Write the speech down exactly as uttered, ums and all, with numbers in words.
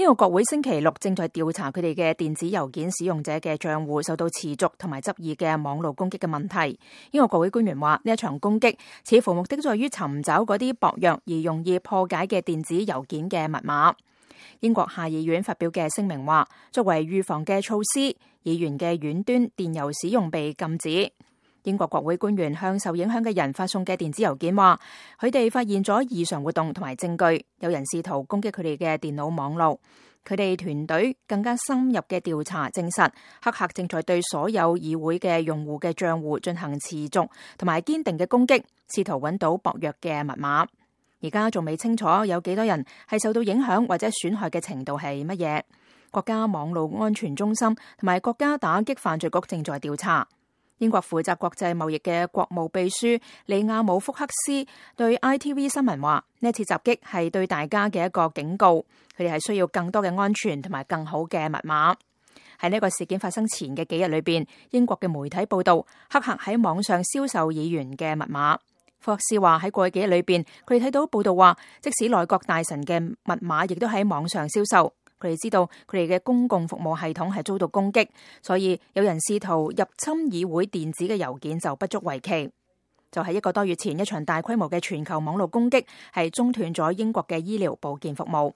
英國國會星期六正在調查佢哋嘅電子郵件使用者嘅賬戶受到持續同埋執意嘅網絡攻擊嘅問題。英國國會官員話，呢一場攻擊似乎目的在於尋找嗰啲薄弱而容易破解嘅電子郵件嘅密碼。英國下議院發表嘅聲明話，作為預防嘅措施，議員嘅遠端電郵使用被禁止。英國國會官員向受影響嘅人發送嘅電子郵件話，佢哋發現咗異常活動同埋證據，有人試圖攻擊佢哋嘅電腦網絡。佢哋團隊更加深入嘅調查證實，黑客正在對所有議會嘅用戶嘅賬戶進行持續同埋堅定嘅攻擊，試圖揾到薄弱嘅密碼。而家仲未清楚有幾多人係受到影響或者損害嘅程度係乜嘢。國家網絡安全中心同埋國家打擊犯罪局正在調查。英國負責國際貿易嘅國務秘書利亞姆福克斯對 I T V 新聞話，呢次襲擊係對大家嘅一個警告，佢哋係需要更多嘅安全同埋更好嘅密碼。喺呢個事件發生前嘅幾日裏邊，英國嘅媒體報道黑客喺網上銷售議員嘅密碼。福克斯話喺過去幾日裏邊，佢哋睇到報道話，即使內閣大臣嘅密碼亦都喺網上銷售。佢哋知道佢哋嘅公共服務系統係遭到攻擊，所以有人試圖入侵議會電子嘅郵件就不足為奇。就喺一個多月前，一場大規模嘅全球網絡攻擊係中斷咗英國嘅醫療保健服務。